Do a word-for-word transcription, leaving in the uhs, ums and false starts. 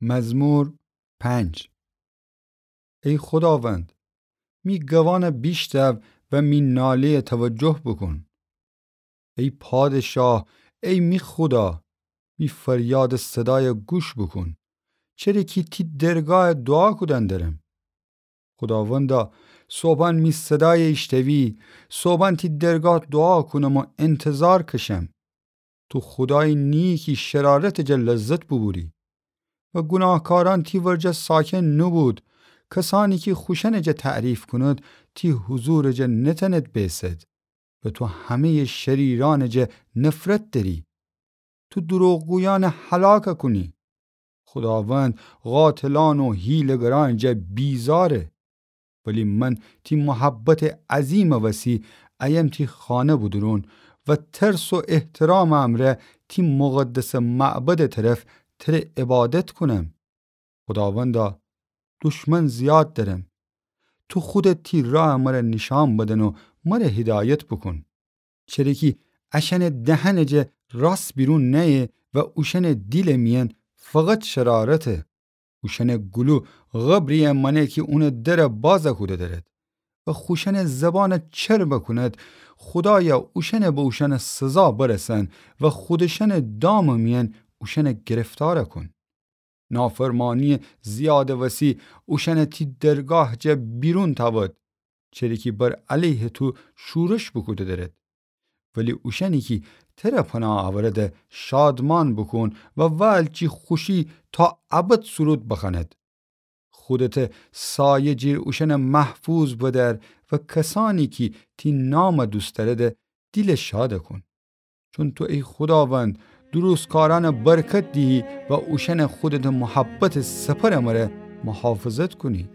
مزمور پنج. ای خوداوند، می گوانَ بیشتو و می ناله‌یَ توجه بوکون. ای پادشاه، ای می خودا، می فریادٚ صدایَ گوش بوکون، چره کی تی درگاهَ دوعا کودن درم. خوداوندا، صبحان می صدایَ ایشتوی، صبحان تی درگاه دوعا کونم و انتظار کشم. تو خودایی نییی کی شرارتٚ جا لذت بوبوری و گوناهکارأن تی ورجه ساکن نوبود. کسأنی کی خوشأنٚ جا تعریف کونید، تی حضورٚ جا نتأنید بیسید و تو همه‌یٚ شریرأنٚ جا نفرت دأری. تو دروغگویأنَ هلاک کونی. خوداوند قاتلأن و حیله‌گرأنٚ جا بیزاره. ولی من تی محبتٚ عظیمٚ وسی ایم تی خانه بودورون و ترس و احترامٚ امرأ تی مقدسٚ معبدٚ طرف تره عبادت کونم. خوداوندا، دشمن زیاد درم. تو خودت تی راه مره نیشأن بدن و مره هدایت بوکون. چره کی اشأنٚ دهنٚ جا راست بیرون نأیه و اوشأنٚ دیلٚ میأن فقط شرارته. اوشأنٚ گلو قبری‌یه مأنه کی اونٚ درَ بازَ کوده درد. و خوشأنٚ زبانَ چربَ کونید، خودایا، اوشأنَ به اوشأنٚ سزا برسان و خودشأنٚ دامٚ میأن اوشأنَ گرفتارَ کون. نافرمانی‌یٚ زیادٚ وسی اوشأنَ تی درگاهٚ جا بیرون تأود، چره کی بر علیهٚ تو شورش بوکوده درد. ولی اوشأنی کی تره پناه اورده شادمان بوکون و وال جی خوشی تا ابد سرود بخوأنید. خودتَ سایه جیر اوشأنَ محفوظ بدأر و کسأنی کی تی نامَ دوست دأرده دیلَ شادَ کون. چون تو ای خوداوند، درستکارأنَ برکت دیهی و اوشأنَ خودتٚ محبتٚ سپرٚ مره محافظت کونی.